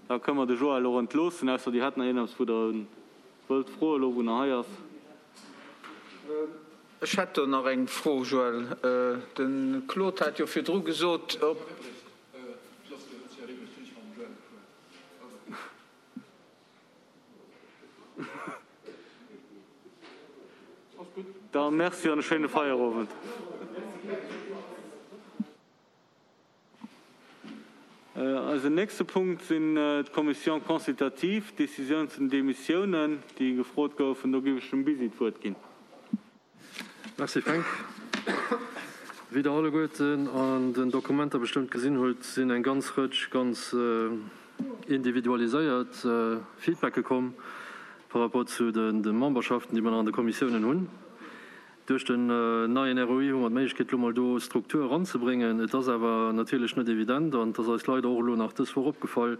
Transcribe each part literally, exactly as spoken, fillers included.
Da kënne mer de Joël och entloossen, ausser Dir hätt nach iergendeppes, wou Der wëllt froen, elo wou en hei ass. Ech hätt do nach eng Fro, Joël. De Claude hat jo virdru gesot, ob. Da merci an e schéine Feierowend. Eisen nächste Punkt sinn d'Commissions consultatives, d'Décisioun zu den Démissiounen, déi gefrot goufen. Do géif ech dem Bisi d'Wuert ginn. Merci Fränk. Wéi Der alleguerten an den Dokumenter bestëmmt gesinn hutt, sinn eng ganz Rëtsch ganz individualiséiert Feedbacke komm par rapport zu de Memberschaften, déi mer nach an de Kommissiounen hunn. Duerch den neien R O I hu mer d'Méiglechkeet, elo mol do Struktur eranzebréngen. Et ass awer natierlech net evident an et ass eis leider och elo nach dës Woch opgefall,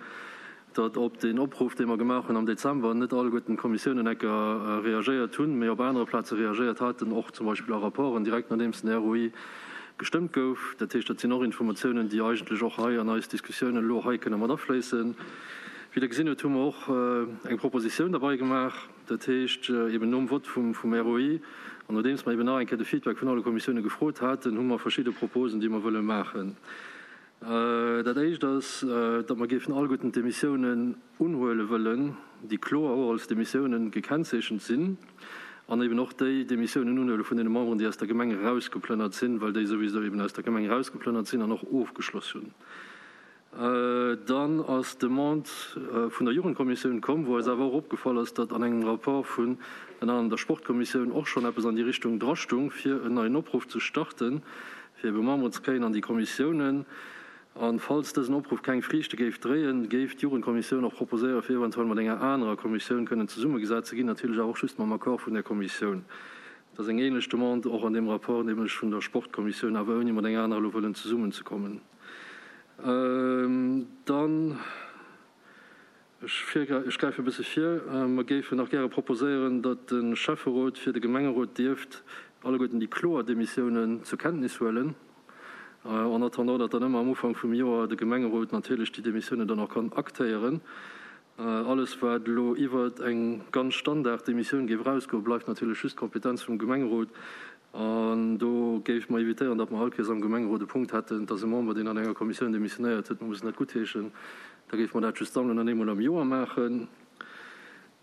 datt op deen Opruff, dee mer gemaach hunn am Dezember, net alleguerten d'Kommissiounen enker reagéiert hunn, mee op anere Plaze reagéiert haten, och zum Beispill a Rapporten, direkt nodeems den R O I gestëmmt gouf. Dat heescht, dat sinn och Informatiounen, déi eigentlech och hei an eis Diskussiounen elo hei kënne mat afléissen. Wéi Der gesinn hutt, hu mer och eng Propositioun derbei gemaach. Dat heescht, eben nom Vott vum R O I an nodeems mer eben nach eng Kéier de Feedback vun alle Kommissioune gefrot haten, hu mer verschidde Proposen, déi mer wëlle maachen. Dat Éischt ass, datt mer géifen alleguerten d'Demissiounen unhuele wëllen, déi kloer och als Demissiounen gekennzeechent sinn, an eben och déi Demissiounen unhuele vun deene Memberen, déi aus der Gemeng erausgeplënnert sinn, well déi souwisou eben aus der Gemeng erausgeplënnert sinn an och ofgeschloss hunn. Dann ass d'Demande vun der Jugendkommissioun komm, wou eis awer och opgefall ass, datt an engem Rapport vun ënner anerem der Sportkommissioun och schonn eppes an déi Richtung drastung, fir en neien Opruff ze starten, fir ebe Memberen ze kréien an déi Kommissiounen. A falls dësen Opruff keng Friichte géif dréien, géif d'Jugendkommissioun och proposéieren, fir eventuell mat enger anerer Kommissioun kënnen zesummegesat ze ginn, natierlech awer och just mam Accord vun där Kommissioun. Dat ass eng ähnlech Demande och an deem Rapport, nämlech vun der Sportkommissioun, awer ouni mat enger anerer elo wëllen zesummenzekommen. Dann, ech ech gräife e bësse vir, mer géifen nach gäre proposéieren, datt de Schäfferot fir de Gemengerot dierft alleguerten déi kloer Demissiounen zur Kenntnis huelen, en attendant datt dann ëmmer am Ufank vum Joer de Gemengerot natierlech déi Demissiounen dann och kann aktéieren. Alles wat elo iwwert eng ganz Standard-Demissioun géif erausgoen, bleift natierlech just d'Kompetenz vum Gemengerot. An do géife mer évitéieren, datt mer all Kéiers am Gemengerot e Punkt hätten, dass e Member, deen an enger Kommissioun demissionéiert huet, mer mussen dat guttheeschen. Da géife mer dat just sammeln an eemol am Joer maachen.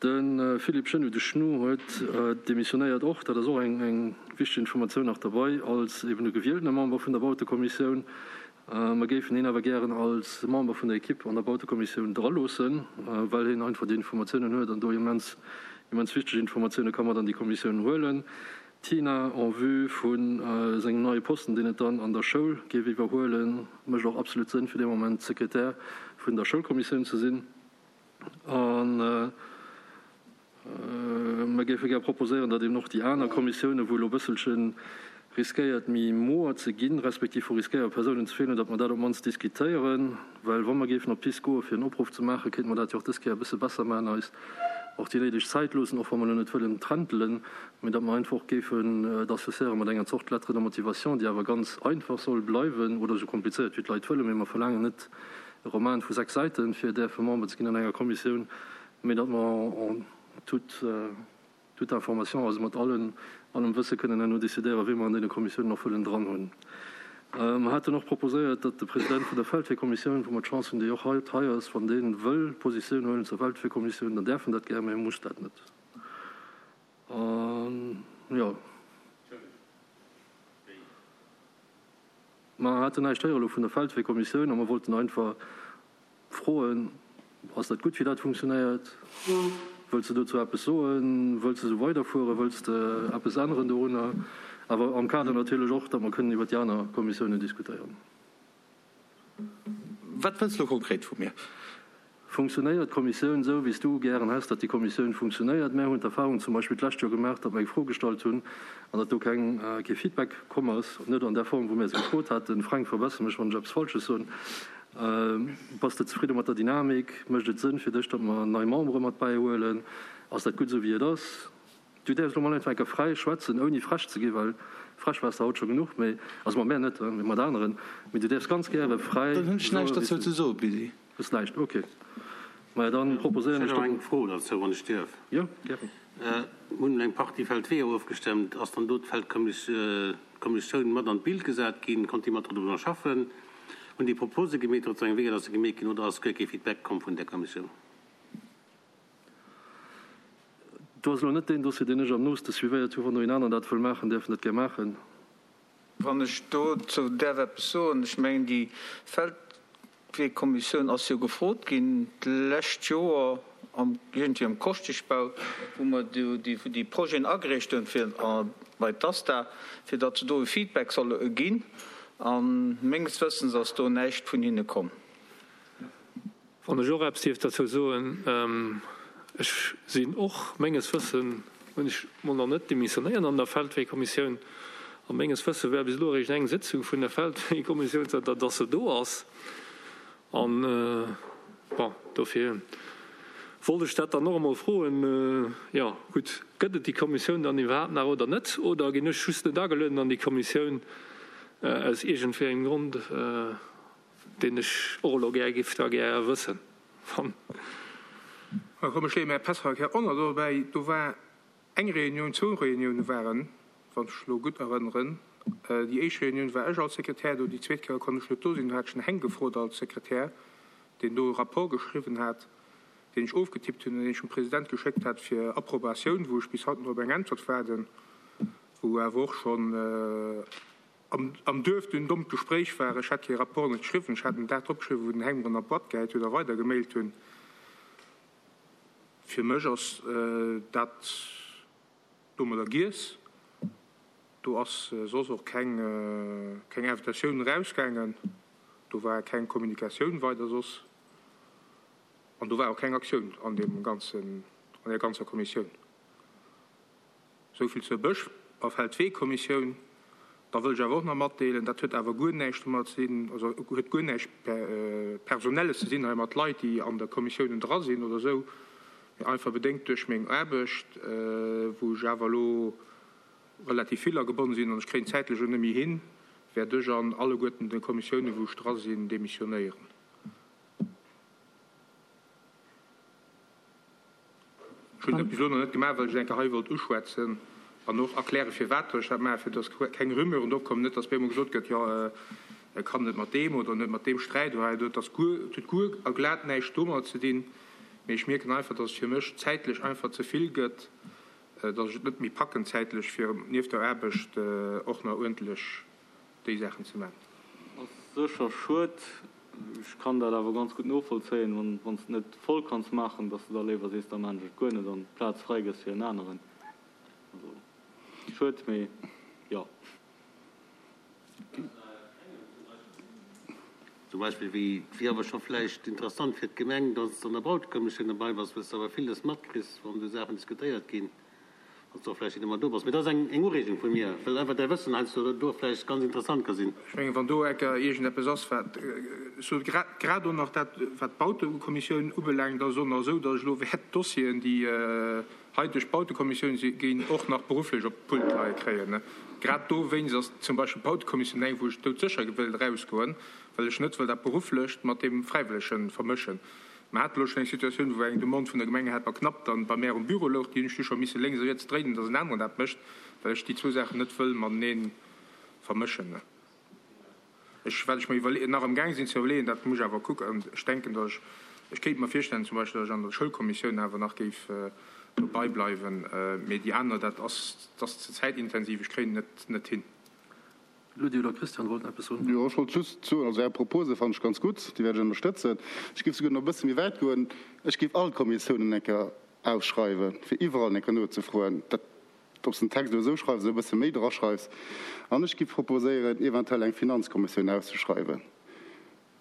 De Philippe Schenu, de Schnu, huet demissionéiert och, dat ass och eng wichteg Informatioun nach derbei, als eben e gewieltene Member vun der Bautekommissioun. Mer géifen hien awer gären als Member vun der Equipe an der Bautekommissioun draloossen, well hien einfach déi Informatiounen huet an do immens, immens wichteg Informatioune ka mat an déi Kommissioun huelen. D'Tina, en vue vu sengem neie Posten, deen et dann an der Schoul géif iwwerhuelen, mécht och absolut Sënn, fir dee Moment Sekretär vun der Schoulkommissioun ze sinn. An mer géife gär proposéieren, datt eben och déi aner Kommissiounen, wou elo e bësselche riskéiert méi moer ze ginn, respektiv wou riskéiere Persounen ze feelen, datt mer dat op d'mannst diskutéieren. Well wa mer géifen op d'Pist goe fir en Opruff ze maachen, kéinte mer dat jo och dës Kéier e bësse besser maachen, eis och déi néideg Zäit loossen, och wa mer elo net wëllen trentelen, mä datt mer einfach och géifen et associéiere mat enger Zort Lettre de motivation, déi awer ganz einfach soll bleiwen oder esou komplizéiert wéi d'Leit wëllen, mä mer verlaangen net e Roman vu sechs Säiten, fir däerfe Member ze ginn an enger Kommissioun, mä datt mer en toute, toute information, also mat allen, allem Wësse kënnen herno décidéieren, wee mer an deene Kommissiounen och wëllen dran hunn. Mer haten och proposéiert, datt de President vun der Feldweekommissioun, wou mer d'Chance hunn, dee och haut hei ass, wann dee wëll Positioun huelen zur Feldweekommissioun, dann däerf en dat gär, mä e muss dat net. An, jo. Mer haten näischt héiere lo vun der Feldweekommissioun a mer wollten einfach froen, Ass dat gutt, wéi dat funktionéiert? Wëlls de dozou eppes soen? Wëlls de esou weiderfueren? Wëlls de eppes änneren dorunner? Awer am Kader natierlech och, datt mer kënnen iwwer déi aner Kommissiounen diskutéieren. Wat wëlls de elo konkret vu mir? Funktionéiert d'Kommissioun esou, wéi s du gären häss, datt déi Kommissioun funktionéiert? Mär hunn d'Erfahrung zum Beispill d'lescht Joer gemaach, datt mer eng Fro gestallt hunn an datt do keng, kee Feedback komm ass, net an där Form, wou mär se gefrot haten. Fränk, verbesser mech, wann ech eppes Falsches soen. Bass de zefridde mat der Dynamik? Mécht et Sënn fir dech, datt mer nei Membere mat bäihuelen? Ass dat gutt esou, wéi et ass? Du däerfs elo mol einfach eng Kéier fräi schwätzen, ouni frech ze ginn, well frech waars de haut scho genuch, mee, also mat mär net, mee mat aneren, mee du däerfs ganz gäre fräi Dann hunn ech soe näischt wéi s derzou du ze soen, Billy. Hues näischt, ok. Maja, dann proposéieren Ech ech hätt nach eng Fro dozou, wann ech dierf. Jo, gären. Mir hunn eng Partie Feldweeër ofgestëmmt. Ass dann do d'Feldkommissioun mat an d'Bild gesat ginn? Konnt déi mat doriwwer schaffen? Hunn déi Propose gemeet, datt eng Weeër, datt se gemeet ginn, oder ass guer kee Feedback komm vun där Kommissioun? Do ass elo net deen Dossier, deen ech am nooste suivéiert hunn. Wann do een aneren dat wëll maachen, däerf en dat gär maachen. Wann ech dozou däerf eppes soen, ech mengen, déi Feldweekommissioun ass jo gefrot ginn d'lescht Joer am, iergendwéi am Koschteschbau, wou mer do déi, déi Projeten agereecht hunn fir bei d'ASTA, fir datt se do e Feedback solle ginn. A menges Wëssens ass do näischt vun hinne komm. Wann ech och eppes dierf derzou soen, ech sinn och, menges Wëssen hunn ech mol nach net demissionéiert an der Feldweekommissioun, a menges Wësse war bis elo eréischt eng Sitzung vun der Feldweekommissioun, zanter datt se do ass. An, bon, dofir wollt ech dat dann och emol froen, jo, gutt, gëtt et déi Kommissioun dann iwwerhaapt nach oder net, oder ginn ech just net agelueden an déi Kommissioun aus iergendwéi engem Grond, deen ech och elo gär giff da gär wëssen, wann. Da komm, ech leeë mäi Pässverkehr och nach dobäi. Do war eng Reunioun, zwou Reunioune waren, wann ech elo gutt erënneren. Déi éischt Reunioun war ech als Sekretär do, déi zweet Kéier konnt ech net do sinn, do hat ech den Heng gefrot als Sekretär, deen do e Rapport geschriwwen hat, deen ech ofgetippt hunn an deen ech dem President geschéckt hat fir Approbatioun, wou ech bis haut nach op eng Äntwert waarden, wou awer och schonn am, am Duerf dunn dommt Gespréich war. Ech hat dee Rapport net geschriwwen, ech hat en Dag drop geschriwwen, wou den Heng mer an der Boîte gehäit huet a weidergemailt hunn. Fir mech ass dat domadder giess. Do ass soss och keng, keng Invitatioun erausgaangen. Do war keng Kommunikatioun weider soss. An do war och keng Aktioun an deem ganzen, an der ganzer Kommissioun. Esou vill zur Bësch- a Feldweekommissioun. Da wëll ech awer och nach matdeelen, dat huet awer guer näischt domat ze dinn, also huet guer näischt Personelles ze dinn hei mat Leit, déi an der Kommissioun dra sinn oder esou, mee einfach bedéngt duerch meng Aarbecht, wou ech awer elo relativ vill agebonne sinn an ech kréien zäitlech och net méi hin, wäert ech an alleguerten de Kommissiounen, wou ech dra sinn, demissionéieren. Ech hunn dat bis elo nach net gemaach, well ech et eng Kéier hei wollt uschwätzen an och erklären, firwat ech dat maachen, fir dass keng Rumeuren opkommen, net dass op eemol gesot gëtt, jo, e kann net mat deem oder net mat deem Sträit oder hei do. Et ass guer, et huet guer a glat näischt domadder ze dinn, mee ech mierken einfach, dass et fir mech zäitlech einfach ze vill gëtt, dass ech et net méi packen zäitlech, fir nieft der Aarbecht och nach uerdentlech déi Saachen ze maachen. Ass sécher schued. Ech kann dat awer ganz gutt novollzéien, wann, wann s de net voll kanns maachen, dass de da léiwer sees, da maachen ech et guer net an d'Plaz fräi gëss fir en aneren. Also schued, mee jo. Zum Beispill wéi, et wier awer scho vläicht interessant fir d'Gemeng, dass s de an der Bautekommissioun derbei bass, well s de awer villes matkriss, wann esou Saachen diskutéiert ginn, dass s de och vläicht net ëmmer do bass. Mee dat ass eng, eng Ureegung vu mir, well einfach däi Wëssen heiansdo do vläicht ganz interessant ka sinn. Ech mengen, wann do enker iergendeppes ass, wat, ech soe grad, grad och nach dat, wat d'Bautekommissioun ubelaangt, ass et och nach esou, dass ech elo wäert d'Dossieren, déi hei duerch d'Bautekommissioun si ginn, och nach berufflech op d'Pult leie kréien. Grad dowéinst ass zum Beispill d'Bautekommissioun eng, wou ech doudsécher wëll erausgoen, well ech net wëll dat Berufflecht mat deem Fräiwëllege vermëschen. Mer hate lo schonn eng Situatioun, wou eng Demande vun der Gemeng hat, mer knapp dann bei mär um Büro louch. Déi hunn ech du scho misse lénks a riets dréinen, dass en aneren dat mécht, well ech déi zwou Saachen net wëll matenee vermëschen. Ech, wat ech mer iwwerle-, nach amgaang sinn ze iwwerleeën, dat muss ech awer kucken, ech denken, dass ech, ech kéint mer virstellen zum Beispill, dass ech an der Schoulkommissioun awer nach géif dobei bleiwen, mee déi aner, dat ass, dat ass ze zäitintensiv, ech kréien et net, net hin. Ludi oder Christian wollten eppes soen. Jo, ech wollt just soen, also Är Propose fannen ech ganz gutt, déi wäert ech ënnerstëtzen. Ech géif souguer nach e bësse méi wäit goen, ech géif all d'Kommissiounen eng Kéier ausschreiwen, fir iwwerall eng Kéier nozefroen, dat, ob s den Text elo esou schreifs oder e bësse méi draschreifs. An ech géif proposéieren, eventuell eng Finanzkommissioun auszeschreiwen,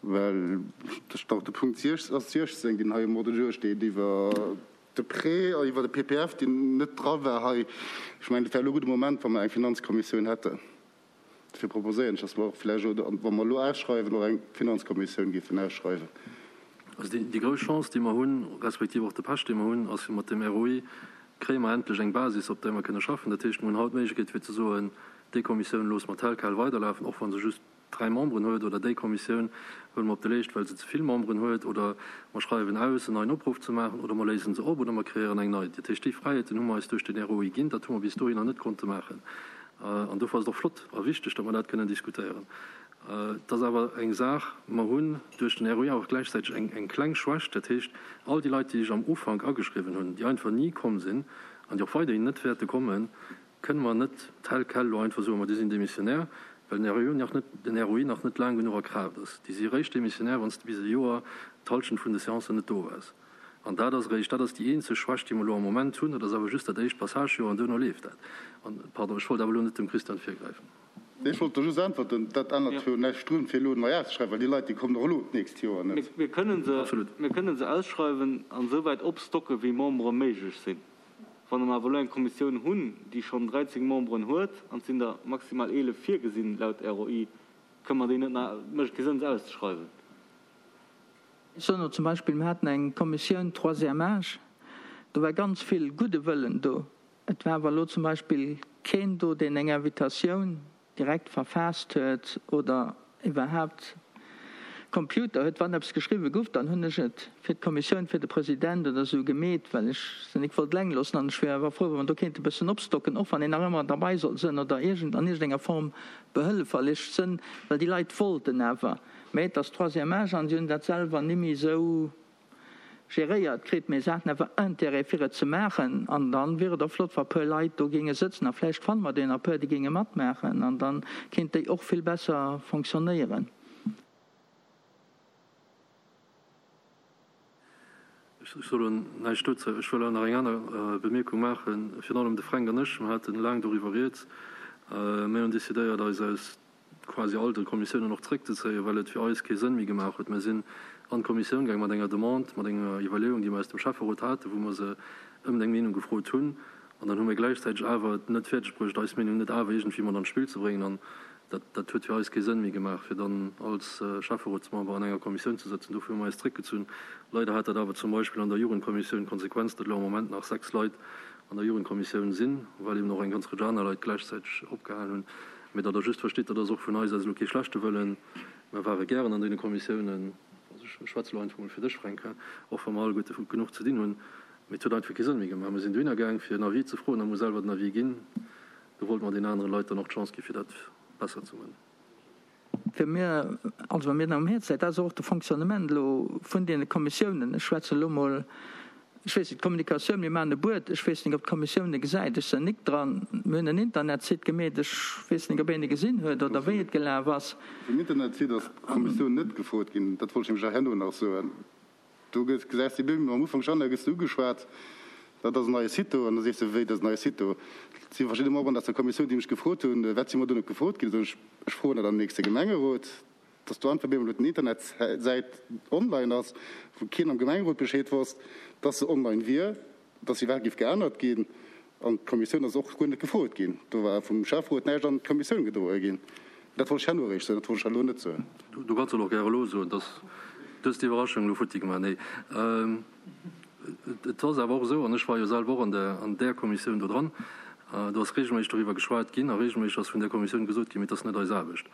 well ech dach de Punkt siechzéng, deen hei um Ordre du jour steet, iwwer de Prêt iwwer de P P F, deen net dra war hei, ech mengen, et wär elo e gudde Moment, wa mer eng Finanzkommissioun hätten. Dofir proposéieren ech, dass mer och vläicht, oder wa mer elo ausschreiwen, och eng Finanzkommissioun géifen ausschreiwen. Also déi, déi grouss Chance, déi mer hunn, respektiv och de Pech, dee mer hunn, ass jo mat dem R O I kréie mer endlech eng Basis, op där mer kënne schaffen. Dat heescht, mer hunn haut d'Méiglechkeet fir ze soen, déi Kommissioun loosse mer tel quel weiderlafen, och wa se just dräi Memberen huet, oder déi Kommissioun huele mer op de Leescht, well se ze vill Memberen huet, oder mer schreiwen aus, en neien Opruff ze maachen, oder mer léisen se op, oder mer kreéieren eng nei. Dat heescht, déi Fräiheeten hu mer eis duerch den R O I ginn. Dat hu mer bis dohinner net konnte maachen. An dofir ass et och flott a wichteg, datt mer dat kënnen diskutéieren. Et ass awer eng Saach, mer hunn duerch den R O I awer och gläichzäiteg eng, eng kleng Schwächt, dat heescht, all déi Leit, déi sech am Ufank ageschriwwen hunn, déi einfach ni komm sinn an déi och weiderhin net wäerte kommen, kënne mer net tel quel elo einfach soen, ma déi sinn démissionnaire, well den R O I nach net, den R O I nach net laang genuch a Kraaft ass. Déi si eréischt démissionnaire, wann s de bis e Joer d'Hallschent vun de Séancen net do waars. An dat ass eréischt, dat ass déi eenzeg Schwächt, déi mer elo am Moment hunn. Dat ass awer just dat éischt Passagejoer an duerno leeft dat. An, pardon, ech wollt awer elo net dem Christian virgräifen. Nee, ech wollt do just äntwerten, dat ännert jo näischt drun, fir elo nei auszeschreiwen, well déi Leit, déi kommen och elo d'nächst Joer net. Mir kënnen se, mir kënnen se ausschreiwen an esouwäit opstocke wéi Membere méiglech sinn. Wann mer awer elo eng Kommissioun hunn, déi schonn dräizéng Memberen huet, an et sinn der maximal eelef virgesinn laut R O I, kënne mer déi net nach, mécht et kee Sënn se auszeschreiwen. Ech soen elo zum Beispill, mir haten eng Kommissioun Troisième âge, do war ganz vill gudde Wëllen do. Et war awer elo zum Beispill keen do, deen eng Invitatioun direkt verfaasst huet oder iwwerhaapt Computer huet. Wann eppes geschriwwe guff, dann hunn ech et fir d'Kommissioun, fir de President oder esou gemeet, well ech se nik wollt eleng loossen. An ech wier awer frou, wa mer do kéinte e bëssen opstocken, och wann een nach ëmmer derbei soll sënn oder iergend an iergendenger Form behëlleferlech sënn, well déi Leit wollten awer. Mä et ass Troisième âge an si hunn dat selwer nimmi esou geréiert kritt, mee se haten awer Intérêt fir et ze maachen. An dann wier et och flott, wa puer Leit do géinge sëtzen, a vläicht fanne mer der nach puer, déi géinge matmaachen, an dann kéint déi och vill besser fonctionnéieren. Ech soe lo näischt dozou. Ech wëll awer nach eng aner Bemierkung maachen. Virun allem de Fränk an ech, mer hate laang doriwwer rieds. Mir hunn decidéiert, eis aus quasi all de Kommissiounen och zréckzezéien, well et fir eis kee Sënn méi gemaach huet. Mir sinn an d'Kommissioun gaang mat enger Demande, mat enger Iwwerleeung, déi mer aus dem Schäfferot haten, wou mer se ëm eng Meenung gefrot hunn. An dann hu mir gläichzäiteg awer et net fäerdegbruecht, eis Meenung net awer iergendwéi mat an d'Spill ze bréngen. An dat, dat huet fir eis kee Sënn méi gemaach, fir dann als Schäfferotsmember an enger Kommissioun ze sëtzen. Dofir hu mer eis zréckgezunn. Leider hat dat awer zum Beispill an der Jugendkommissioun d'Konsequenz, datt elo am Moment nach sechs Leit an der Jugendkommissioun sinn, well eben och eng ganz Rëtsch aner Leit gläichzäiteg opgehalen hunn. Mee datt Der just verstitt, dat ass och vun eis aus elo kee schlechte Wëllen. Mer ware gären an deene Kommissiounen, also ech schwätze elo einfach mol fir dech, Fränk, och wa mer alleguerte genuch ze dinn hunn. Mee et huet einfach kee Sënn méi gemaach. Mer sinn dohinner gaang, fir en Avis ze froen a mer hu selwer den Avis ginn. Do wollte mer deenen anere Leit dann och d'Chance gi fir dat besser ze man. Fir mir, also wa mir am Häerz läit, dat ass och de Fonctionnement elo vun deene Kommissiounen. Ech schwätzen elo mol, ech weess net, d'Kommunikatioun, mir maachen e Buet, ech weess net, ob d'Kommissioun e gesäit, ech sinn nik dran. Mir hunn en Internetsite gemeet, ech weess nik, ob een e gesinn huet oder wéi et gelaf ass. Vum Internetsite ass d'Kommissioun net gefrot ginn, dat wollt ech nämlech herno nach soen. Do gesäis de bim am Ufank schonn, da gëss de ugeschwat, dat ass en neie Site do, an da sees de, wéi, dat ass en neie Site do. Et si verschidde Memberen aus der Kommissioun, déi mech gefrot hunn, wat si mer do net gefrot ginn. Da soen ech, ech froen dat am nächste Gemengerot, dass do einfach bemol den Internetsäit online ass, wou keen am Gemengerot Bescheed wosst, dass se online wier, dass se iwwerhaapt géif geännert ginn. An d'Kommissioun ass och guer net gefrot ginn. Do war vum Schäfferot näischt an d'Kommissioun gedroe ginn. Dat wollt ech herno eréischt soen, dat wollt ech elo net soen. Du kanns et och gär elo soen, dass du hues d'Iwwerraschung elo futti gemaach. Nee, et ass awer och esou, an ech war jo selwer och an der an där Kommissioun do dran, do ass regelméisseg doriwwer geschwat ginn a regelméisseg ass vun där Kommissioun gesot ginn, mee et ass net eis Aarbecht.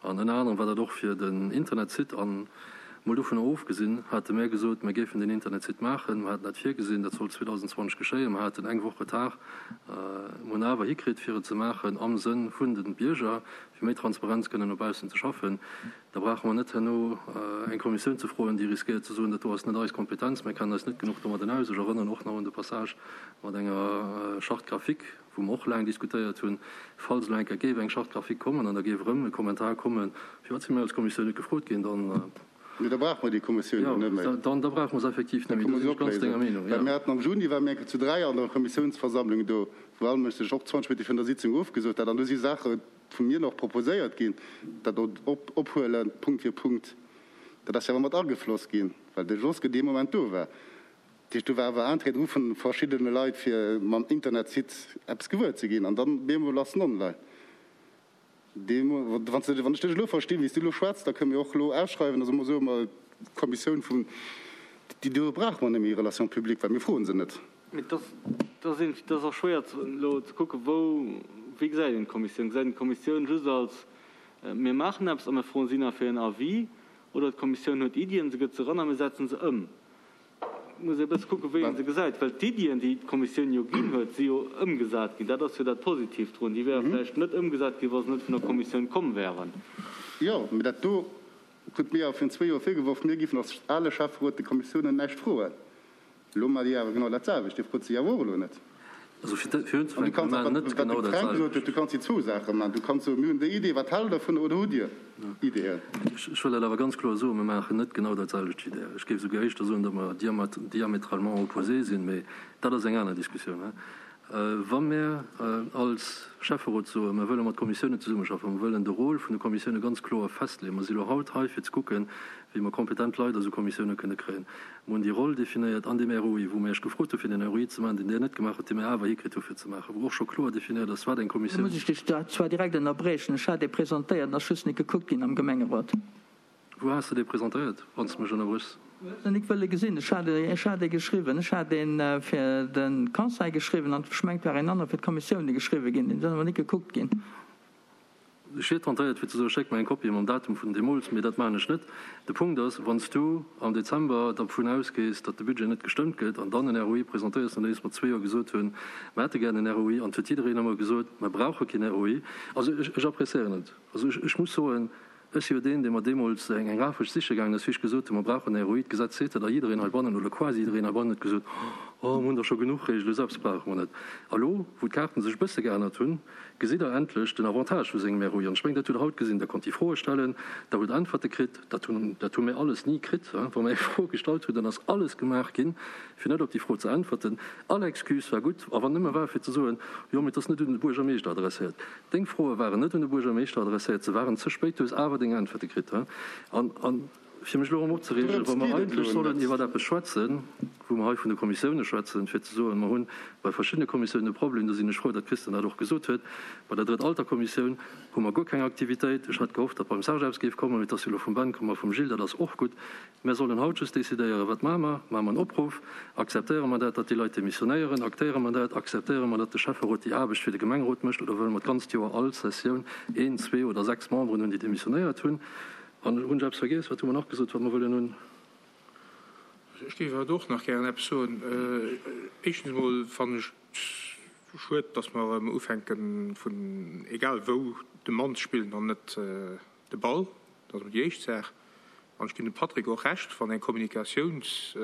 An ënner anerem war dat och fir den Internetsite. An mol dovunner ofgesinn, hate mär gesot, mär géifen deen Internetsite maachen. Mer haten dat virgesinn, dat sollt zweedausendenzwanzeg geschéien. Mer haten eng Woch Retard. Mer hunn awer hikritt, fir et ze maachen am Sënn vun de Bierger, fir méi Transparenz kënnen no baussen ze schaffen. Da brauche mer net herno eng Kommissioun ze froen, déi riskéiert ze soen, dat do ass net eis Kompetenz, mir kennen eis net genuch domadden aus. Ech erënneren och nach un de Passage mat enger Charte graphique, wou mer och laang diskutéiert hunn, falls elo eng Kéier géif eng Charte graphique kommen an da géif erëm e Kommentar kommen, firwat si mir als Kommissioun net gefrot ginn, dann. Mee da brauche mer déi Kommissioun jo net méi. Jo, dann da brauche mer se effektiv net méi. Do sinn ech ganz denger Meenung, jo. Well mir haten am Juni, ware mir eng Kéier zu dräi an der Kommissiounsversammlung do, wou all Mënsch sech och zwanzeg Minutte virun der Sitzung ofgesot hat, an do si Saache vu mir nach proposéiert ginn, dat ophuelen, Punkt fir Punkt, dat ass jo awer mat agefloss ginn, well de Josque dee Moment do war. Dat heescht, do war awer Interêt dru vu verschiddene Leit, fir mam Internetsite eppes gewuer ze ginn, an dann bemol ass en online. Deemo, wann ech dech elo verstinn, wéi s du elo schwätz, da kënne mir och elo ausschreiwen, also soe mer, d'Kommissioun vun, déi do brauche mer net méi, Relations publiques, well mir froe se net. Mee et ass, et ass och schwéier elo ze kucken, wou, wéi gesäit een d'Kommissioun? Gesäit een d'Kommissioun just als Mir maachen eppes a mir froen si nach fir en Avis, oder d'Kommissioun huet Iddien, se gëtt se eran a mir setzen se ëm. Et muss ee e bësse kucken, wéi ee se gesäit, well d'Iddien, déi d'Kommissioun jo ginn huet, si jo ëmgesat ginn. Dat ass jo dat Positiivt drun. Déi wäre vläicht net ëmgesat ginn, wa se net vun der Kommissioun komm wären. Jo, mee dat do krute mir awer virun zwee Joer virgeworf, mir géifen als ale Schäfferot de Kommissiounen näischt froen. Elo maacht Dir awer genau dat selwecht. Dir frot se jo awer och elo net. Also fir fir An du unzefänken, kanns mir och, maachen wat net wat de genau dat Fränk gesot huet, selwecht. du kanns déi zwou Saache maachen. Du kanns soen, mir hunn déi Idee, wat haalt Der dovun oder hutt Dir Ideeën? Ech ech wëll dat awer ganz kloer soen, mir maachen net genau dat selwecht wéi Der. Ech géif esouguer éischter soen, datt mer diamétralement opposé sinn, mee dat ass eng aner Diskussioun. Wa mir als Schäfferot soen, mir wëlle mat Kommissiounen zesummeschaffen, mir wëllen de Rôle vun de Kommissioune ganz kloer festleeën, mer si lo haut hei fir ze kucken, wéi mer kompetent Leit a sou Kommissioune kënne kréien, mer hunn déi Roll definéiert an deem R O I, wou mer Iech gefrot hu fir den R O I ze maachen, deen Dir net gemaach hutt, dee mir awer hikritt hu fir ze maachen, wou och scho kloer definéiert ass, wat eng Da Kommissioun. muss ech dech zwar direkt ënnerbriechen, ech hat dee presentéiert, en ass just net gekuckt ginn am Gemengerot. Wou has de dee presentéiert, wann s de mech ënnerbréchs? Du hues en nik wëlle gesinn. Ech hat ech hat ee geschriwwen. Ech hat een fir de Conseil geschriwwen an ech mengt war een anere fir d'Kommissioune geschriwwe ginn. Deen ass awer nik gekuckt ginn. Ech wier tentéiert fir ze soen, schéck mer eng Kopie mam Datum vun deemools, mee dat maachen ech net. De Punkt ass, wann s du am Dezember dervun ausgees, datt de Budget net gestëmmt gëtt an dann en R O I presentéiers, nodeems mer zwee Joer gesot hunn, mer hätte gären en R O I an et huet jiddereen ëmmer gesot, mer brauche keen R O I. Also ech, ech appréciéieren et. Also ech, ech muss soen, Ech si jo deen, dee mer deemools eng Rafesch siche gaangen ass, wéi ech gesot hunn, mer brauchen e R O I, d'Gesetz seet dat, a jiddereen heibannen, oder quasi jiddereen heibannen huet gesot, Oh, mer hunn der scho genuch Reegelen, esou eppes brauche mer net. A lo, wou d'Kaarten sech e bësse geännert hunn, gesitt Der endlech den Avantage vu sengem R O I. An ech mengen, dat hutt Der haut gesinn. Der konnt déi Froe stellen, Der hutt Äntwerte kritt. Dat hunn, dat hu mir alles ni kritt. Wa mer eng Fro gestallt hunn, dann ass alles gemaach ginn, fir net op déi Fro ze äntwerten. All Excuse war gutt, a wann nëmme war, fir ze soen, Jo, mee et ass net un de Buergermeeschter adresséiert. Deng Froe waren net un de Buergermeeschter adresséiert, se waren ze spéit, du hues awer deng Äntwerte kritt. An, an fir mech elo erëm opzereegen, Dorëms wa mer geet et eigentlech elo sollen net. iwwer eppes schwätzen, wou mer hei vun de Kommissioune schwätzen, fir ze soen, mer hunn bei verschiddene Kommissiounen e Problem, do sinn ech frou, datt d'Christine dat och gesot huet, bei der Drëtt-Alter-Kommissioun hu mer guer keng Aktivitéit. Ech hat gehofft, datt beim Serge eppes géif kommen, mee et ass jo elo vum Ben komm a vum Gilles, dat ass och gutt. Mer sollen haut just decidéieren, wat maache mer? Maache mer en Opruff? Akzeptéiere mer dat, datt déi Leit demissionéieren? Aktéiere mer dat? Akzeptéiere mer, datt de Schäfferot déi Aarbecht fir de Gemengerot mécht? Oder wëlle mer d'ganzt Joer all Sessioun een, zwee oder sechs Memberen hunn, déi demissionéiert hunn? An hunn ech eppes vergiess? Wat hu mer nach gesot, wat mer wëllen hunn? Ech géif awer och nach gären eppes soen. Éischtens emol fannen ech et schued, dass mer erëm ufänken, vun egal wou de Mann ze spillen an net de Ball. Dat ass emol déi éischt Saach. An ech ginn dem Patrick och Recht, wann eng Kommunikatiouns,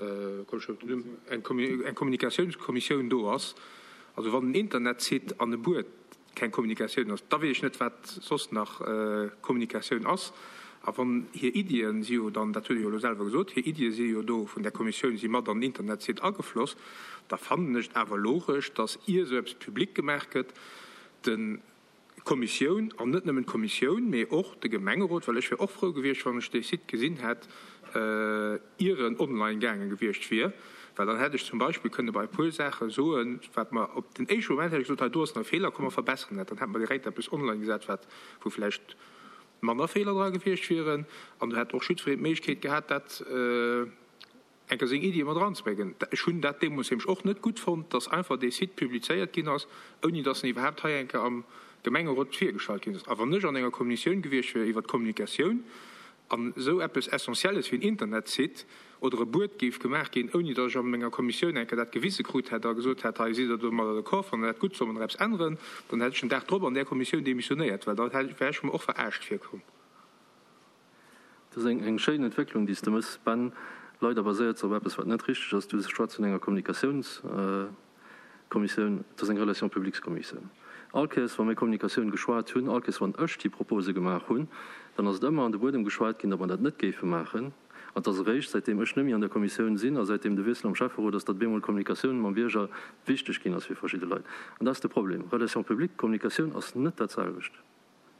eng Kommunikatiounskommissioun do ass, also wann en Internetsite an e Buet keng Kommunikatioun ass, da weess ech net, wat soss nach Kommunikatioun ass. A wann hir Iddien si jo dann, dat huet e jo elo selwer gesot, hir Iddie si jo do vun där Kommissioun, si mat an den Internetsite agefloss, da fannen ech et awer logesch, dass ier esou eppes public gemaach gëtt, de Kommissioun, an net nëmmen d'Kommissioun, mee och de Gemengerot, well ech wier och frou gewiescht, wann ech dee Site gesinn hätt, ier en online gaange gewiescht wier, well dann hätt ech zum Beispill kënne bei e puer Saache soen, wat mer op den éischte Moment hätt ech gesot, hei do ass nach e Feeler, komm mer verbesseren dat. Dann hätt mer direkt eppes online gesat, wat, wou vläicht manner Feeler dra gewiescht wieren, an do hätt och jiddwereen d'Méiglechkeet gehat, dat eng Kéier seng Iddie mat eranzebréngen. Ech hunn dat deemools nämlech och net gutt fonnt, dass einfach dee Site publizéiert ginn ass, ouni dass en iwwerhaapt hei eng Kéier am Gemengerot virgestallt ginn ass. A wann ech an enger Kommissioun gewiescht wier iwwert d'Kommunikatioun an esou eppes Essentielles wéi en Internetsite oder e Buet géif gemaach ginn, ouni dass ech a menger Kommissioun eng Kéier dat gewise krut hätt a gesot hätt, hei sidd Der domadder d'accord, fannt Der dat gutt, solle mer nach eppes änneren, dann hätt ech den Dag drop an där Kommissioun demissionéiert, well da wär ech mer och verarscht virkomm. Dat ass eng schéin Entwécklung, déi s de méchs, Ben. Leider baséiert se op eppes, wat net richteg ass. Du schwätz vun enger Kommunikatiounskommissioun. Et ass eng Relations-publiques-Kommissioun. All Kéiers, wa mir Kommunikatioun geschwat hunn, all Kéiers, wann ech déi Propose gemaach hunn, dann ass et ëmmer an de Buedem geschwat ginn, datt mer dat net géife maachen. An et ass eréischt, säitdeem ech net méi an der Kommissioun sinn a säitdeem de Wiessel am Schäfferot ass, datt bemol Kommunikatioun mam Bierger wichteg ginn ass fir verschidde Leit. An dat ass de Problem. Relations publiques, Kommunikatioun ass net dat selwecht.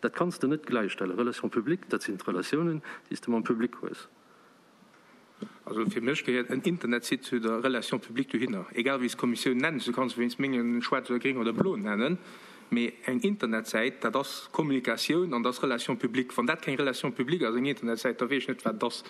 Dat kanns de net gläichstellen. Relations publiques, dat sinn d'Relatiounen, déi s de mam Public hues. Also fir mech gehéiert en Internetsite zu der Relation publique dohinner, egal wéi s d'Kommissioun nenns. Du kanns se wéinst mengen schwaarz oder gréng oder blo nennen, mee eng Internetsäit, dat ass Kommunikatioun an dat ass Relation publique. Wann dat keng Relation publique ass, eng Internetsäit, da weess ech net, wat et ass.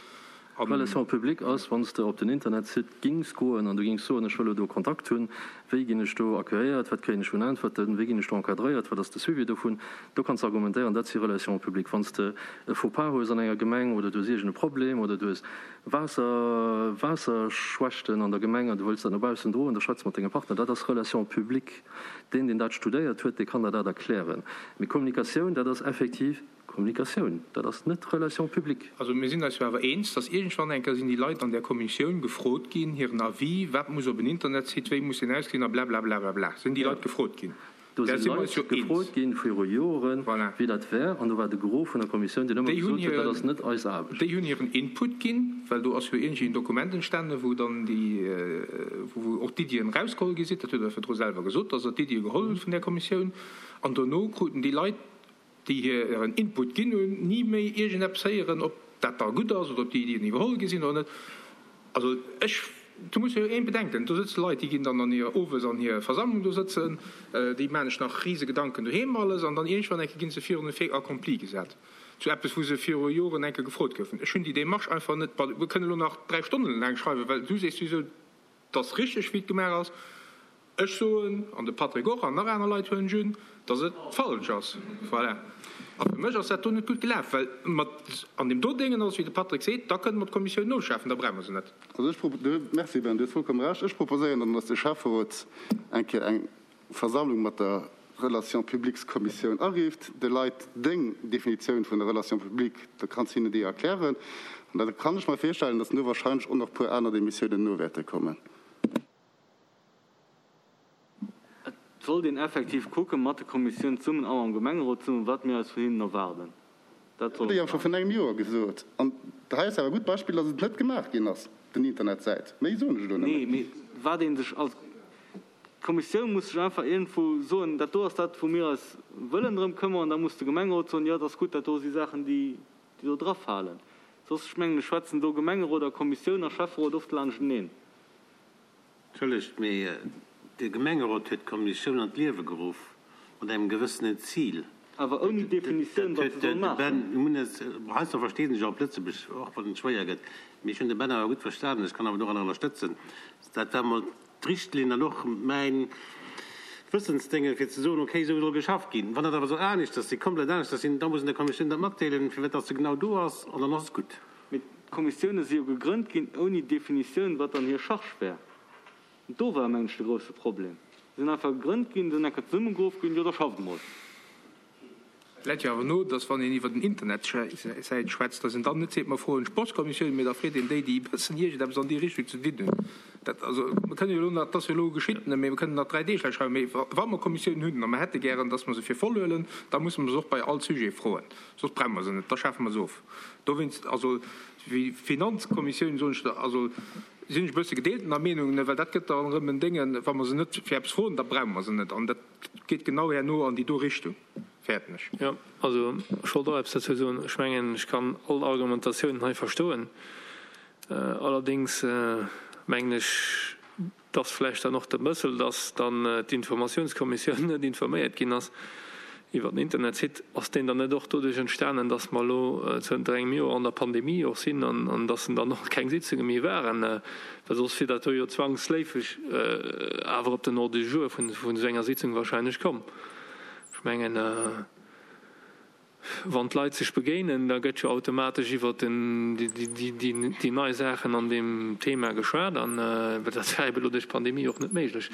Relation publique ass, wann s de op den Internetsite gings goen an du gings soen, ech wëll elo do Kontakt hunn, wéi ginn ech do accueilléiert, wat kréien ech vun Äntwerten, wéi ginn ech do encadréiert, wat ass de Suivi dovun, do kanns de argumentéieren, dat si Relations publiques. Wann s de e Faux-pas hues an enger Gemeng oder du hues iergend e Problem oder du hues Waasser, Waasserschwächten an der Gemeng an du wëlls dat no baussen droen, da schwätz mat denge Partner, dat ass Relation publique. Deen, deen dat studéiert huet, dee kann der dat erklären. Mee Kommunikatioun, dat ass effektiv Kommunikatioun, dat ass net Relation publique. Also mir sinn eis jo awer eens, dass iergendwann eng Kéier sinn déi Leit an där Kommissioun gefrot ginn, hiren Avis, wat muss op en Internetsite, wéi muss deen ausgesinn a blablablablabla, sinn déi Leit gefrot ginn. Do Där si si mer eis Leit jo eens. gefrot ginn viru Joren, Voilà. wéi dat wär, an do war de Gros vun der Kommissioun, deen ëmmer Déi hunn gesot huet, dat hiren, ass net eis Aarbecht. déi hunn hiren Input ginn, well do ass jo iergendwéi en Dokument entstanden, wou dann déi, wou och d'Iddien erausgeholl gi sinn, dat huet Der virdru selwer gesot, dass Der d'Iddie geholl hutt vun där Kommissioun, an dono kruten déi Leit, déi hiren Input ginn hunn, ni méi iergendeppes héieren, ob dat da gutt ass oder ob déi Iddien iwwerholl gi sinn oder net. Also ech, do muss jo een bedenken, do sëtze Leit, déi ginn dann an hir, owes an hir Versammlung do sëtzen, déi maachen sech nach rise Gedanken doheem alles an dann iergendwann eng Kéier gi se virun e Fait accompli gesat zu eppes, wou se viru Joren eng Kéier gefrot goufen. Ech hunn déi Démarche einfach net, mir kënnen elo nach dräi Stonnen laang schreiwen, well du sees souwisou, 't ass richteg, wéi et gemaach ass. Ech soen, an de Patrick och, an nach aner Leit huelen ech un, datt et falsch ass. Voilà. A fir mech ass dat do net gutt gelaf, well mat an deem do Déngen ass, wéi de Patrick seet, da kënne mer d'Kommissioun noschafen, da brauche mer se net. Also ech propo-, du, merci Ben, du hues vollkomm Recht. Ech proposéieren dann, datt de Schäfferot eng Kéier eng Versammlung mat der Relations-publiques-Kommissioun arifft, de Leit deng Definitioun vun der Relation publique, da kanns hinne déi erklären. An da kann ech mer virstellen, datt no wahrscheinlech och nach e puer aner Demissiounen no wäerte kommen. Et sollt een effektiv kucke mat de Kommissioun zesummen a mam Gemengerot zesummen, wat mir eis vun hinnen erwaarden. Dat Dat soll hutt Der jo et scho maachen. vun engem Joer gesot. An hei ass awer e gutt Beispill, datt et net gemaach ginn ass, den Internetsäit. Méi soen ech elo net Nee, méi. mee wat ee sech als D'Kommissioun muss sech einfach iergendwou soen, dat do ass dat, wou mir eis wëllen drëm këmmern. An da muss de Gemengerot soen, jo, dat ass gutt, dat do si Saachen, déi do drafalen. Soss, ech mengen, schwätzen do Gemengerot a Kommissioun a Schäfferot oft laanschteneen. Entschëllegt, mee de Gemengerot huet d'Kommissioun an d'Liewe geruff mat engem gewëssenen Zil. Awer ouni Definitioun, Dat wat huet se soll de maachen. Ben Munez, heiansdo versteet ech och op Lëtzebuerg, och wann et schwéier gëtt, mee ech hunn de Ben awer gutt verstanen, ech kann awer doranner ënnerstëtzen. Dat war mol d'Richtlinn an och mäin Wëssensdéngen, fir ze soen, okay, esou soll geschafft ginn. Wann dat awer soll aneschters sinn, komplett aneschters sinn, da muss een der Kommissioun dat matdeelen, firwat dass se genau do ass, an dann ass et gutt. Mee d'Kommissioune si jo gegrënnt ginn ouni Definitioun, wat dann hir Charge wär. An do war, mengen ech, de grousse Problem. Se sinn einfach gegrënnt ginn, sinn eng Kéier zesummegeruff ginn, jo da schafft emol. Et läit jo awer no, dass wann een iwwer den Internetsäit schwätzt, dass een dann net seet, mer froen d'Sportskommissioun, mee da freet een déi, déi e bëssen iergendeppes an déi Richtung ze dinn hunn. Dat, also, mer kënnen jo elo nach, dat ass jo elo geschitt, mee mer kënnen nach dräi Deeg laang schreiwen, mee wa mer Kommissiounen hunn a mer hätte gären, dass mer se fir voll huelen, da musse mer se och bei all Sujet froen, soss brauche mer se net, da schafe mer se of. Dowéinst, also, wéi Finanzkommissioun, soen ech der, also, sinn ech e bësse gedeeltener Meenung, well dat gëtt dann erëm en Déngen, wa mer se net fir eppes froen, da brauche mer se net. An dat geet genau herno an déi do Richtung. Fäerten ech. Jo, also ech wollt och eppes dozou soen. Ech mengen, ech kann all Argumentatiounen hei verstoen. Allerdéngs mengen ech, dass vläicht dann och de Mëssel, dass dann d'Informatiounskommissioun net informéiert ginn ass iwwer den Internetsite, ass deen dann net och doduerch entstanen, dass mer elo zënter engem Joer an der Pandemie och sinn an dass dann och keng Sitzunge méi waren, well soss wier dat do jo zwangsléifeg awer op den Ordre du jour vun esou enger Sitzung wahrscheinlech komm. Ech mengen, wann d'Leit sech begéinen, da gëtt jo automatesch iwwer déi nei Saachen an deem Thema geschwat an dat war ebe lo duerch d'Pandemie och net méiglech.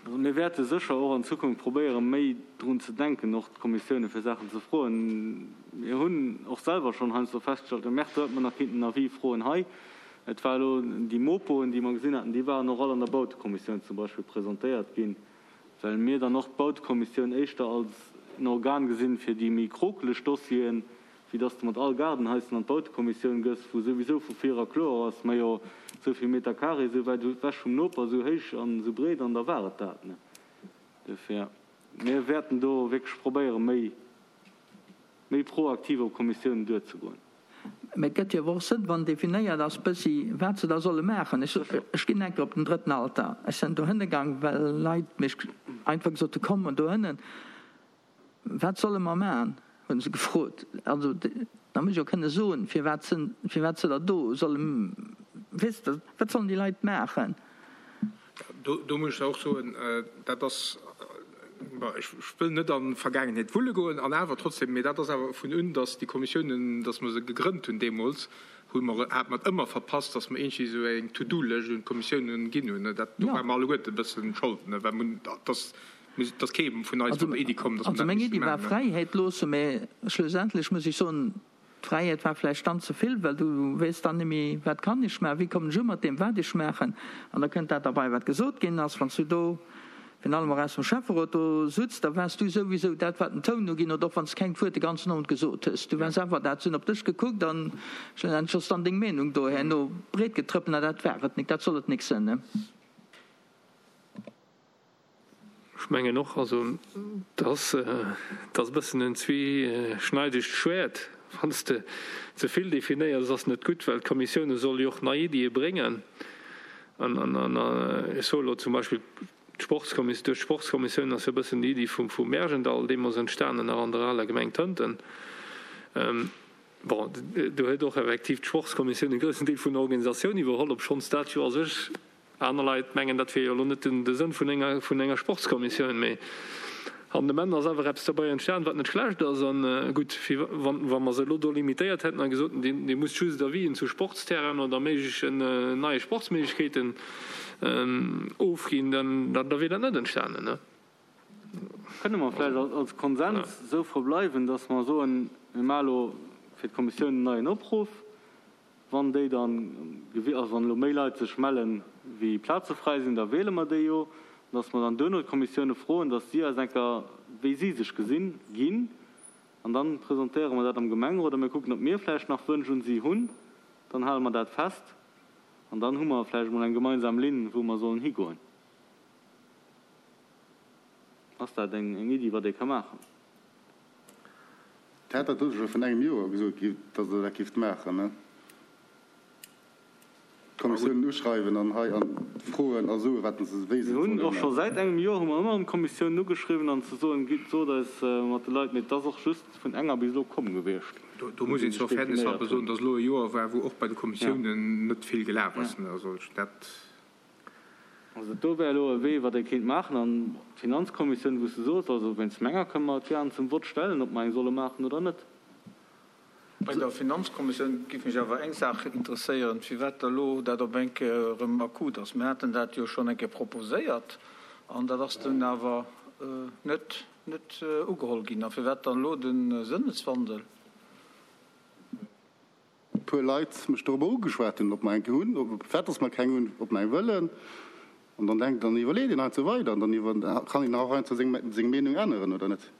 Also mir wäerte sécher och an Zukunft probéieren, méi drun ze denken, och d'Kommissioune fir Saachen ze froen. Mir hunn och selwer schonn heiansdo festgestallt, oh Merde, do hätt mer nach kinnten en Avis froen hei. Et war elo déi Mopoen, déi mer gesinn haten, déi waren och all an der Bautekommissioun zum Beispill presentéiert ginn. Well mir dann och d'Bautekommissioun éischter als en Organ gesinn fir déi méi krokeleg Dossieren, wéi dass de mat all Gaardenhaischen an d'Bautekommissioun gëss, wou souwisou vu vir era kloer ass, majo, esou vill Meter carré, esou wäit ewech vum Noper, esou héich an esou breet, an da war et dat. Duerfir, mir wäerten do wierklech probéieren, méi, méi proaktiv op Kommissiounen duerzegoen. Mä et gëtt jo awer och Sënn, wann definéiert ass bëssi, wat se da solle maachen. Ech, ech ginn enker op den Drëtten Alter. Ech sinn dohënne gaang, well Leit mech einfach gesot hu, komm dohënnen. Wat solle mer maachen, hu se gefrot. Also Da muss ech jo kënne soen, firwat se, firwat se der do solle, weess de, wat sollen déi Leit maachen? Do, do muss ech och soen, dat ass, bon, ech wëll net an d'Vergaangenheet wulle goen, an awer trotzdem, mee dat ass awer vun un, datt déi Kommissiounen, datt mer se gegrënnt hunn deemools, hu mer, hate mer et ëmmer verpasst, datt mer iergendwéi esou eng To-do-Lëscht un d'Kommissiounen ginn hunn. Dat, do ware mer alleguerte e bëssen Schold, well mer hunn, datt, et ass kee vun eis mat der Iddi komm, datt mer Also dat meng misste Iddi war maachen. Fräiheet loossen, mä schlussendlech muss ech soen, d'Fräiheet war vläicht dann ze vill, well du weess dann némmi, wat kann ech maachen, wéi kommen ech u mat deem, wat ech maachen. An da kënnt dat derbei, wat gesot ginn ass, wann s du do, virun allem och aus dem Schäfferot do sutz, da waars du souwisou dat, wat den Toun uginn huet, och wann s kengt Wuert de ganzen Owend gesot hues. Du waars awer dat, se hunn op dech gekuckt an schlussendlech ass dann deng Meenung do herno breetgetrëppelt an dat war et nik, dat soll et nik sënn. Ech mengen och, also dat ass e bëssen en zweeschneidegt Schwäert. Wann s de ze vill definéiers, ass net gutt, well d'Kommissioune solle jo och nei Iddie bréngen. An ech soe elo zum Beispill d'Sportskommissioun, duerch d'Sportskommissioun ass jo e bëssen déi Iddi vum Märjendall deemools entstanen, nach an der aler Gemeng Tënten. Bon, do huet och effektiv d'Sportskommissioun e groussen Deel vun der Organisatioun iwwerholl, obschonns dat jo a sech Aner Leit mengen, dat wier jo elo net de Sënn vun enger, vun enger Sportskommissioun, mee an dem Enn ass awer eppes derbei entstan, wat net schlecht ass. An gutt, fir wann, wa mer se elo do limitéiert hätten a gesot hätten, Dir musst just Avisen zu Sportsterrainen oder méiglechen neie Sportsméiglechkeeten ofginn, dann, da wier dat net entstanen. Kënne mer vläicht als Konsens esou verbleiwen, dass mer soen, mir maache elo fir d'Kommissioun en neien Opruff, Wann déi dann, also wann elo méi Leit sech mellen, wéi Plaze fräi sinn, da wiele mer déi jo, dass mer dann duerno d'Kommissioune froen, dass si eis eng Kéier, wéi si sech gesinn, ginn. An da presentéiere mer dat am Gemengerot a mir kucken, ob mir vläicht nach Wënsch un si hunn. Dann hale mer dat fest an dann hu mer vläicht emol eng gemeinsam Linn, wou mer sollen higoen. Ass dat eng Iddi, wat ee ka maachen? Dir hat dat scho vun engem Joer gesot, datt Der dat géift maachen, ne? D'Kommissiounen uschreiwen an hei an froen a soen, wat se, wéi se Mir et hunn solle och scho maachen. säit engem Joer hu mer ëmmer erëm d'Kommissiounen ugeschriwwen an ze soen, gitt, sot eis mat de Leit, mee et ass och just vun enger bis elo komm gewiescht, Do do wou muss si een sech zur Fairness definéiert halber soen, hunn. datt elo e Joer war, wou och bei de Ja. Kommissiounen net vill gelaf ass. Also dat. Also dat do wär elo e Wee, wat ee kéint maachen. An d'Finanzkommissioun, wou s de soos, also wéinst menger kënne mer et gären zum Vott stellen, ob mer eng solle maachen oder net. Bei der Finanzkommissioun géif mech awer eng Saach interesséieren, firwat da elo dat op eng Kéier erëm akut ass. Mir haten dat jo schonn eng Kéier proposéiert an dat ass dunn awer net net ugeholl ginn. A firwat dann elo de Sënneswandel? Puer Leit mech dorobber ugeschwat hunn, ob mer eng hunn, ob firwat dass mer keng hunn, ob mer eng wëllen. An dann denkt, dann iwwerleet een heiansdo weider an dann iwwer kann een och heiansdo seng seng Meenung änneren, oder net?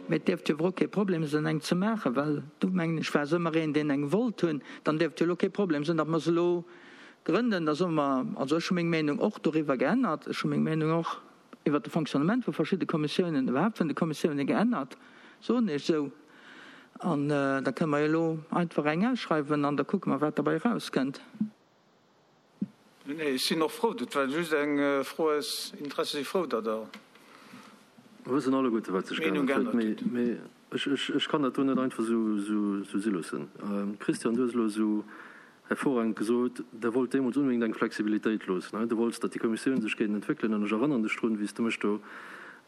Mee et dierft jo awer och kee Problem sinn, eng ze maachen, well do, mengen ech, war se ëmmer een, deen eng wollt hunn. Dann dierft jo elo kee Problem sinn, datt mer se elo grënnen. Da soe mer, also ech hu meng Meenung och doriwwer geännert, ech hu meng Meenung och iwwert de Fonctionnement vu verschidde Kommissiounen, iwwerhaapt vun de Kommissiounen geännert, soen ech esou. An da kënne mer jo elo einfach eng ausschreiwen an da kucke mer, wat derbäi erauskënnt. Nee, ech sinn och frou. Dat war just eng Fro aus Interesse. Si frou, datt Der Mer wëssen alleguerte, wat sech Meenung geännert huet, geännert hutt. mee ech kann dat do net einfach esou si loossen. Christian, du hues elo esou hervorragend gesot, Der wollt deemools onbedéngt eng Flexibilitéit loossen. Du wollts, datt déi Kommissioun sech géint entwéckelen. An ech erënnern dech drun, wéi s de mech do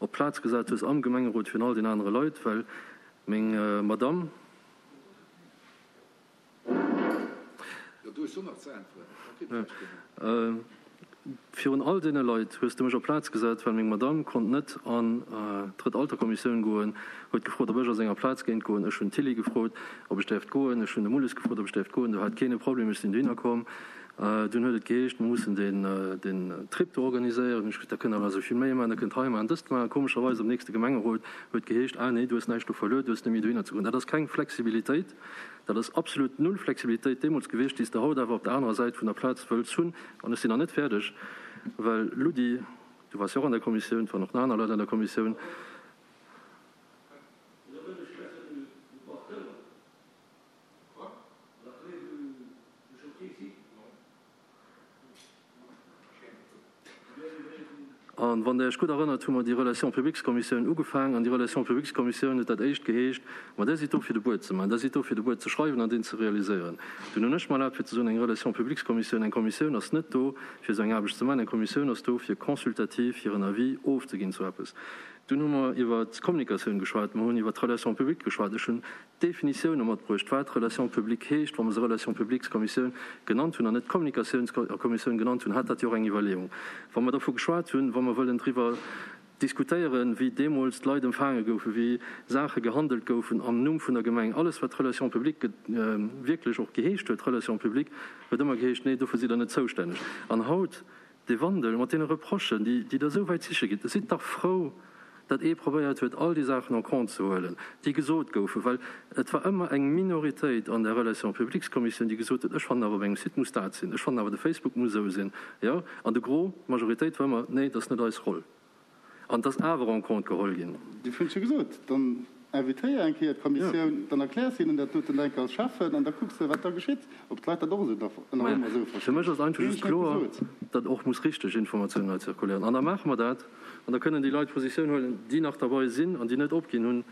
op d'Plaz gesat hues am Gemengerot virun all den anere Leit, well meng Madamm, Virun all deene Leit hues de mech op d'Plaz gesat, well meng Madamm konnt net an d'Drëtt-Alter-Kommissioun goen, huet gefrot, ob ech a senger Plaz géint goen. Ech hunn d'Tilly gefrot, ob ech däerft goen. Ech hunn de Mulles gefrot, ob ech däerft goen. Do hat keen e Problem, ech sinn dohinner komm. Dunn huet et geheescht, mer mussen den Trip do organiséieren. Hunn ech gesot, da kënnt der awer esou vill méi maachen, da kënnt hei maachen, dëst maachen. Komescherweis am nächste Gemengerot huet geheescht, ah nee, du hues näischt do verluer, du hues net méi dohinner ze goen. Dat ass keng Flexibilitéit, dat ass absolut null Flexibilitéit deemools gewiescht, déi s de haut awer op der anerer Säit vun der Plaz wëlls hunn. An ech sinn nach net fäerdeg, well Ludi, du waars jo och an der Kommissioun, et waren och nach aner Leit an der Kommissioun, An wann Der Iech gutt erënnert, hu mer déi Relations-publiques-Kommissioun ugefaangen. An déi Relations-publiques-Kommissioun huet dat éischt geheescht, Ma där sidd do fir de Buet ze maachen, där sidd do fir de Buet ze schreiwen an deen ze realiséieren. Dunn hunn ech mer erlaabt fir ze soen, eng Relations-publiques-Kommissioun, eng Kommissioun ass net do fir esou eng Aarbecht ze maachen, eng Kommissioun ass do fir consultativ hiren Avis ofzeginn zu eppes. Dunn hu mer iwwert d'Kommunikatioun geschwat, mer hunn iwwert d'Relations publiques geschwat. Ech hunn Definitioune matbruecht, wat Relations publiques heescht. Wa mer se Relations publiques-Kommissioun genannt hunn an net Kommunikatiounskommissioun genannt hunn, hat dat jo och eng Iwwerleeung. Wa mer dervu geschwat hunn, wa mer wëllen driwwer diskutéieren, wéi deemools d'Leit empfaange goufen, wéi Saache gehandelt goufen am Numm vun der Gemeng, alles wat Relations publiques wierklech och geheescht huet, Relations publiques huet ëmmer geheescht, nee, dofir sidd Der net zoustänneg. An haut dee Wandel mat deene Reprochen, déi Der esou wäit siche gitt, sidd dach frou, datt ee probéiert huet, all déi Saachen en compte ze huelen, déi gesot goufen, well et war ëmmer eng Minoritéit an der Relations publiques-Kommissioun, déi gesot huet, ech fannen awer, op engem Site muss dat sinn, ech fannen awer, de Facebook muss esou sinn, jo. An de Gros, d'Majoritéit war ëmmer, nee, dat ass net eis Roll. An et ass awer en compte geholl ginn. Dofir hunn ech jo gesot, dann invitéier eng Kéier d'Kommissioun, dann erkläers hinnen dat doten enk als Schäffen an da kucks de, wat da geschitt, ob d'Leit dat och esou nach ëmmer esou Fir verstinn. mech ass einfach Hunn just ech net kloer, gesot. datt och muss richteg Informatioun hei zirkuléieren. An da maache mer dat an da kënnen déi Leit Positioun huelen, déi nach derbei sinn an déi net opginn hunn,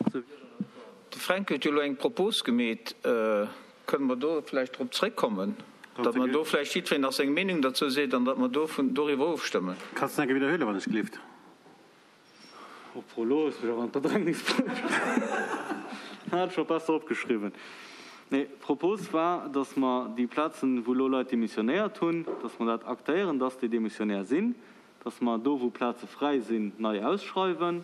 esou wéi ech an der Fra. De Fränk huet jo elo eng Propos gemeet. Kënne mer do vläicht drop zréckkommen, datt mer do vläicht jiddwereen nach seng Meenung derzou seet an datt mer do doriwwer ofstëmmen? Kanns de nach eng Kéier widderhuelen, wann ech gelift? Obwuel, elo hues mech awer an d'Bedrängnis bruecht. Hat ech mer besser opgeschriwwen. Nee, d'Propos war, dass mer déi Plazen, wou elo Leit demissionéiert hunn, dass mer dat aktéieren, dass déi Demissionnaire sinn, dass mer do, wou Plaze fräi sinn, nei ausschreiwen.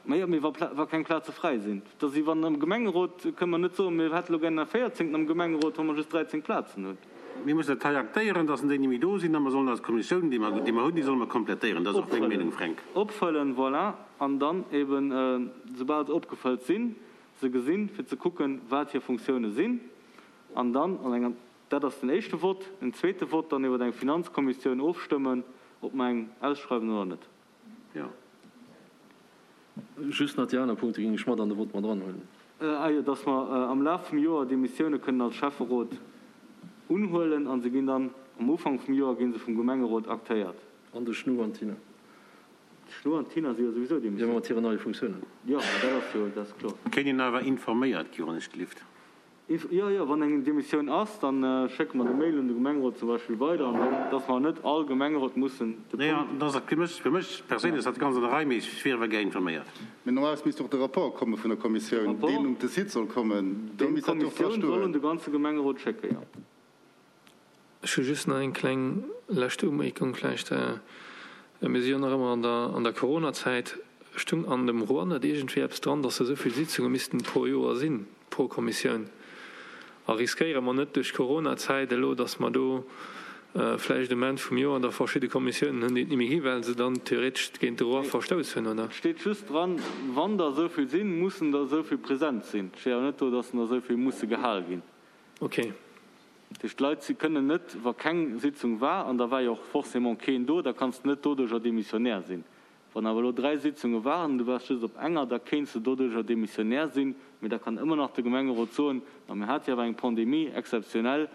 Majo, mee wa wa keng Plaze fräi sinn, da si wann am Gemengerot kënne mer net soen, mir hätte lo gären e véierzéngten am Gemengerot, wa mer just dräizéng Plazen hunn. Mir mussen dat hei aktéieren, dass déi net méi do sinn, a mer sollen eis Kommissioun, déi mer déi mer hunn, déi solle mer komplettéieren. Dat ass och meng Meenung, Fränk. Opfëllen, voilà, an dann eben, soubal se opgefëllt sinn, se gesinn, fir ze kucken, wat hir Funktioune sinn, an dann an enger, dat ass den éischte Vott, en zweete Vott dann iwwer eng Finanzkommissioun ofstëmmen, ob mer eng ausschreiwen oder net. Jo. Just nach déi aner Punkte géing ech mat an de Vott mat eranhuelen. Ah jo, dass mer am Laf vum Joer déi Missioune kënnen als Schäfferot unhuelen a se ginn dann am Ufank vum Joer gi se vum Gemengerot aktéiert. An de Schnu an d'Tina. De Schnu an d'Tina si jo souwisou Jo, déi. mat hiren neie Funktiounen. Jo, mä dat ass jo, dat ass kloer. Kéint een awer informéiert gi, wann ech gelift? Jo, jo, wann eng Demissioun ass, da schécke mer de Mail un de Gemengerot zum Beispill weider, an dann, dass mer net all Gemengerot mussen de Nee, Punkt. dat ass fir mech, fir mech perséinlech ass dat ganz an der Rei, mee ech wier awer gär informéiert. Mee normalerweis misst och de Rapport komme vun der Kommissioun, Rapport, deen um de Site soll kommen, do deen misst dat jo och dra d'Kommissioun soll un stoen. de ganze Gemengerot schécken, jo. Ech hu just nach eng kleng lescht Umierkung vläicht. Mir si jo nach ëmmer an der, an der Coronazäit. Stung an dem Roi net iergendwéi eppes dran, dass esou vill Sitzunge missten pro Joer sinn, pro Kommissioun? A riskéiere mer net duerch d'Coronazäit elo, dass mer do vläicht um Enn vum Joer da verschidde Kommissiounen hunn, déi et ni méi gi well se dann theoretesch géint de Roi Nee, verstouss hunn, oder? et steet just dran, wann der esou vill sinn, mussen der esou vill present sinn. Et steet awer net do, dass der esou vill musse gehal ginn. Okay. Dat heescht, d'Leit si kënnen net, wa keng Sitzung war, an da war jo och forcément keen do, da kanns de net doduercher Demissionnaire sinn. Wann awer elo dräi Sitzunge waren an du waars just op enger, da kéints de doduercher Demissionnaire sinn, mee da kann ëmmer nach de Gemengerot soen, ma mir hate jo awer eng Pandemie exzeptionell,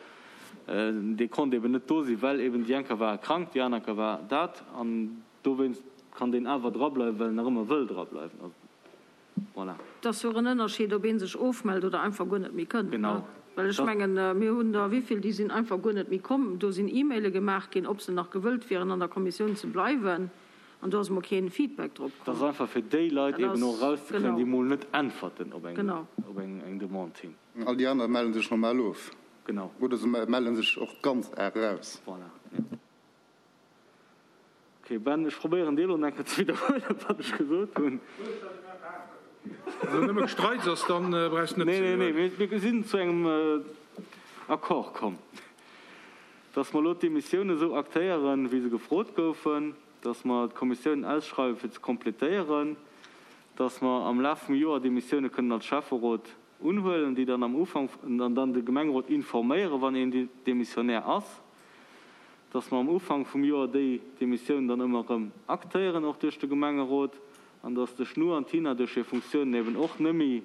dee konnt eben net do sinn, well eben déi enker war e krank, déi aner war dat, an dowéinst kann deen awer drableiwen, well en nach ëmmer wëll drableiwen. Voilà. Et ass jo och en Ënnerscheed, ob ee sech ofmellt oder einfach guer net méi kënnt. Genau. Well ech mengen, mir hunn der wéi vill, déi sinn einfach guer net méi komm. Do sinn E-Maile gemaach ginn, ob se nach gewëllt wieren, an der Kommissioun ze bleiwen. An do ass emol kee Feedback drop Dat ass komm. einfach fir déi Leit Dat eben och ass, erauszekréien, genau. déi mol net äntwerten op eng, Genau. op eng, eng Demande hin. All déi aner melle sech normal of. Genau. Oder se melle sech och ganz eraus. Voilà, jo. Ok Ben, ech probéieren dir elo nach eng Kéier ze widderhuelen, wat ech gesot hunn. Wann elo nëmme Gestreits ass, dann brauchs de net Nee, ze nee, nee, wiederhuelen. mir sinn zu engem Accord komm, dass mer elo d'Demissioune esou aktéieren, wéi se gefrot goufen, dass mer d'Kommissiounen ausschreiwen, fir ze kompletéieren, dass mer am Laf vum Joer Demissioune kënnen als Schäfferot unhuelen, déi dann am Ufank an dann de Gemengerot informéieren, wann een Demissionnaire ass, dass mer am Ufank vum Joer déi Demissioun dann ëmmer erëm aktéieren, och duerch de Gemengerot, an dass de Schnu an d'Tina duerch hir Funktiounen eben och nëmme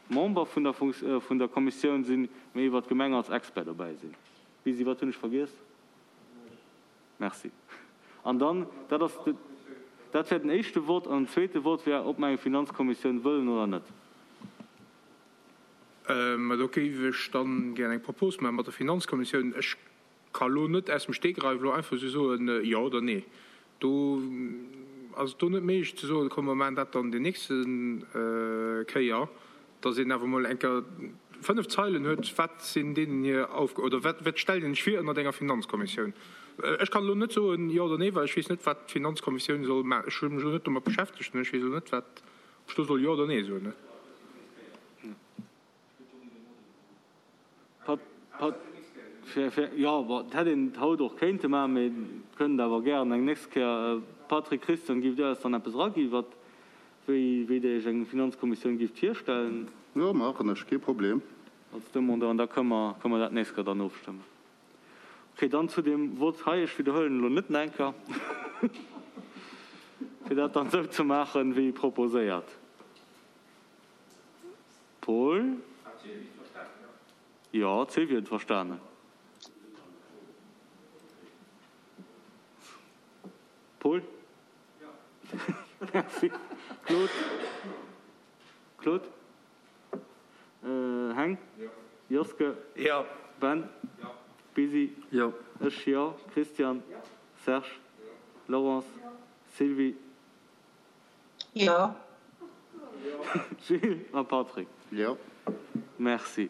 Member vun der, vun der Kommissioun sinn, mee iwwert d'Gemeng als Expert dobäi sinn. Bisi, wat hunn ech vergiess? Merci. An dann, dat ass de, dat wär den éischte Vott. An den zweete Vott wär, ob mer eng Finanzkommissioun wëllen oder net. Mä do géif ech dann gär eng Propos maachen mat der Finanzkommissioun. Ech ka lo net aus dem Stegreif elo einfach esou soen, jo oder nee. Do ass et do net méiglech ze soen, komm mer maachen dat dann déi nächste Kéier, datt een awer emol eng Kéier fënnef Zeilen huet, wat sinn deenen hir Aufgaben oder wat wat stellt een sech vir ënnert enger Finanzkommissioun. Ech kann elo net soen jo oder nee, well ech weess net, wat d'Finanzkommissioun soll maachen. Ech hu mech elo net domat beschäftegt an ech weess elo net, wat, ob ech do soll jo oder nee soen. Jo, bon, et hätt een et haut och kéinte maachen, mee kënnt awer gären eng nächst Kéier. Patrick, Christian, giff Dir eis dann eppes eragi wat, wéi, wéi Dir Iech eng Finanzkommissioun gifft virstellen? Jo, maachen ech, kee Problem. Als Demandeur, an da kënne mer, kënne mer dat nächst Kéier dann ofstëmmen. Okay, dann zu deem Vott hei, ech widderhuelen elo net nach eng Kéier, fir dat dann esou ze maachen, wéi proposéiert. Paul? Jo, d'Sylvie huet et verstanen. Paul? Merci. Claude? Claude? Heng? Joske? Jo. Ben? Busy? Jo. Ech jo. Christian? Serge? Laurence? Sylvie? Jo. Gilles a Patrick. Jo. Merci.